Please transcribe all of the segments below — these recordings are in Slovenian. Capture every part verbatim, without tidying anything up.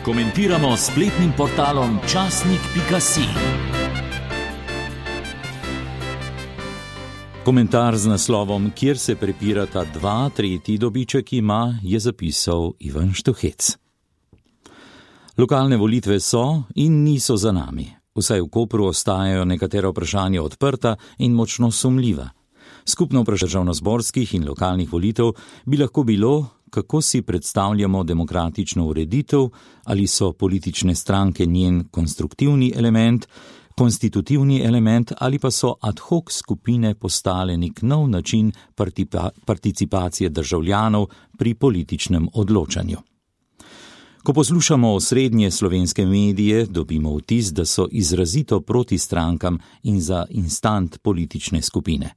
Komentiramo s spletnim portalom časnik pika si. Komentar z naslovom Kjer se prepirata dva, tretji dobiček ima, je zapisal Ivan Štuhec. Lokalne volitve so in niso za nami. Vsaj v Kopru ostajajo nekatera vprašanja odprta in močno sumljiva. Skupno vprašanje državnozborskih in lokalnih volitev bi lahko bilo, kako si predstavljamo demokratično ureditev, ali so politične stranke njen konstruktivni element, konstitutivni element ali pa so ad hoc skupine postale nek nov način participacije državljanov pri političnem odločanju. Ko poslušamo osrednje slovenske medije, dobimo vtis, da so izrazito proti strankam in za instant politične skupine.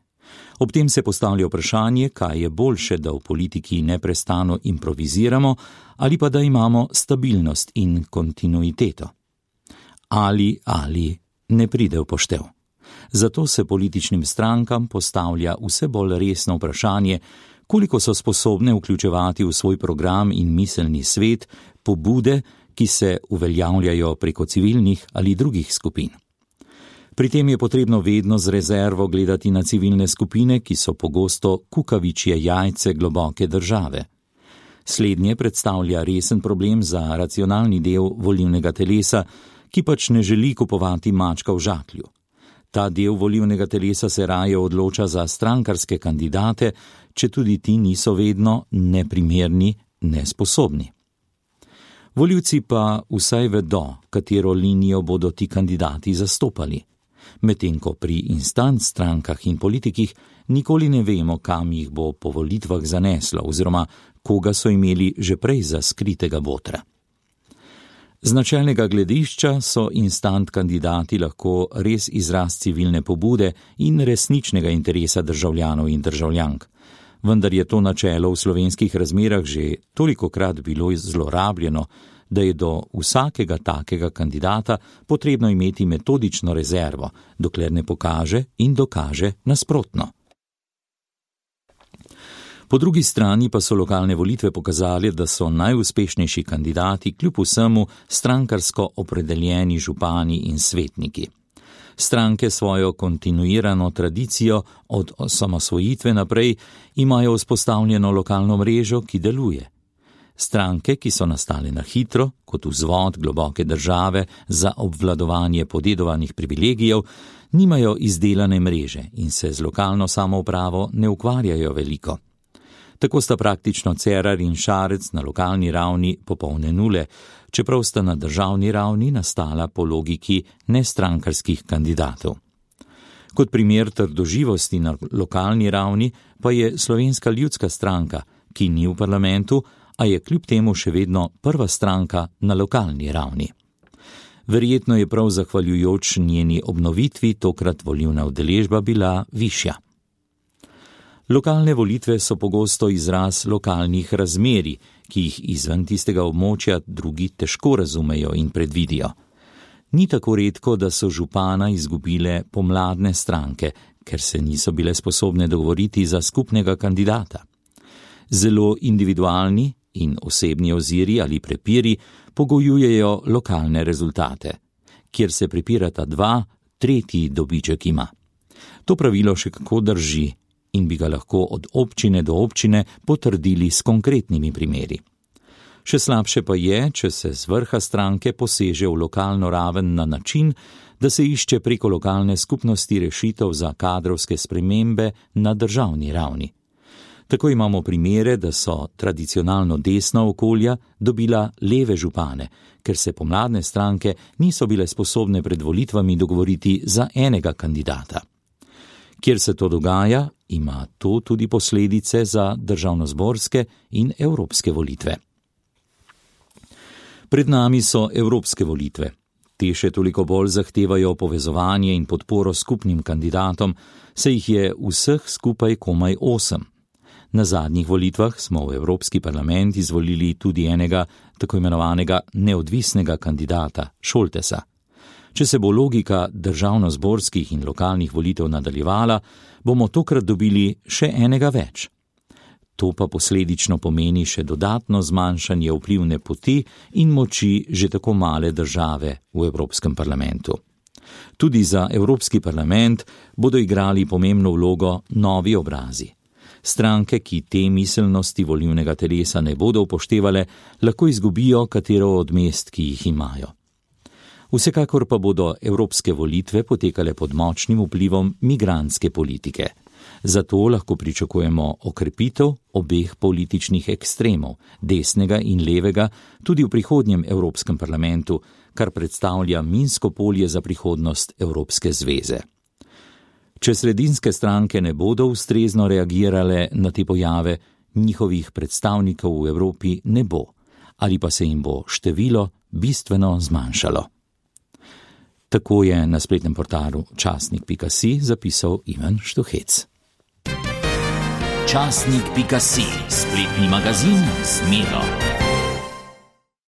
Ob tem se postavlja vprašanje, kaj je boljše, da v politiki neprestano improviziramo ali pa da imamo stabilnost in kontinuiteto. Ali, ali ne pride v poštev. Zato se političnim strankam postavlja vse bolj resno vprašanje, koliko so sposobne vključevati v svoj program in miselni svet pobude, ki se uveljavljajo preko civilnih ali drugih skupin. Pri tem je potrebno vedno z rezervo gledati na civilne skupine, ki so pogosto kukavičje jajce globoke države. Slednje predstavlja resen problem za racionalni del volilnega telesa, ki pač ne želi kupovati mačka v žaklju. Ta del volilnega telesa se raje odloča za strankarske kandidate, če tudi ti niso vedno neprimerni, nesposobni. Volivci pa vsaj vedo, katero linijo bodo ti kandidati zastopali. Medtem ko pri instant strankah in politikih nikoli ne vemo, kam jih bo po volitvah zaneslo oziroma koga so imeli že prej za skritega botra. Z načelnega gledišča so instant kandidati lahko res izraz civilne pobude in resničnega interesa državljanov in državljank. Vendar je to načelo v slovenskih razmerah že tolikokrat bilo zlorabljeno, da je do vsakega takega kandidata potrebno imeti metodično rezervo, dokler ne pokaže in dokaže nasprotno. Po drugi strani pa so lokalne volitve pokazali, da so najuspešnejši kandidati kljub vsemu strankarsko opredeljeni župani in svetniki. Stranke svojo kontinuirano tradicijo od osamosvojitve naprej imajo vzpostavljeno lokalno mrežo, ki deluje. Stranke, ki so nastale na hitro, kot vzvod globoke države za obvladovanje podedovanih privilegijev, nimajo izdelane mreže in se z lokalno samoupravo ne ukvarjajo veliko. Tako sta praktično Cerar in Šarec na lokalni ravni popolne nule, čeprav sta na državni ravni nastala po logiki nestrankarskih kandidatov. Kot primer trdoživosti na lokalni ravni pa je Slovenska ljudska stranka, ki ni v parlamentu, a je kljub temu še vedno prva stranka na lokalni ravni. Verjetno je prav zahvaljujoč njeni obnovitvi tokrat volilna udeležba bila višja. Lokalne volitve so pogosto izraz lokalnih razmerij, ki jih izven tistega območja drugi težko razumejo in predvidijo. Ni tako redko, da so župana izgubile pomladne stranke, ker se niso bile sposobne dogovoriti za skupnega kandidata. Zelo individualni in osebni oziri ali prepiri pogojujejo lokalne rezultate. Kjer se prepirata dva, tretji dobiček ima. To pravilo še kako drži in bi ga lahko od občine do občine potrdili s konkretnimi primeri. Še slabše pa je, če se z vrha stranke poseže v lokalno raven na način, da se išče preko lokalne skupnosti rešitev za kadrovske spremembe na državni ravni. Tako imamo primere, da so tradicionalno desna okolja dobila leve župane, ker se pomladne stranke niso bile sposobne pred volitvami dogovoriti za enega kandidata. Kjer se to dogaja, ima to tudi posledice za državnozborske in evropske volitve. Pred nami so evropske volitve. Te še toliko bolj zahtevajo povezovanje in podporo skupnim kandidatom, saj jih je vseh skupaj komaj osem. Na zadnjih volitvah smo v Evropski parlament izvolili tudi enega tako imenovanega neodvisnega kandidata, Šoltesa. Če se bo logika državnozborskih in lokalnih volitev nadaljevala, bomo tokrat dobili še enega več. To pa posledično pomeni še dodatno zmanjšanje vplivne poti in moči že tako male države v Evropskem parlamentu. Tudi za Evropski parlament bodo igrali pomembno vlogo novi obrazi. Stranke, ki te miselnosti volilnega telesa ne bodo upoštevale, lahko izgubijo katero od mest, ki jih imajo. Vsekakor pa bodo evropske volitve potekale pod močnim vplivom migrantske politike. Zato lahko pričakujemo okrepitev obeh političnih ekstremov, desnega in levega, tudi v prihodnjem Evropskem parlamentu, kar predstavlja minsko polje za prihodnost Evropske zveze. Če sredinske stranke ne bodo ustrezno reagirale na te pojave, njihovih predstavnikov v Evropi ne bo, ali pa se jim bo število bistveno zmanjšalo. Tako je na spletnem portalu časnik pika si zapisal Ivan Štuhec. časnik pika si, spletni magazin z Miro.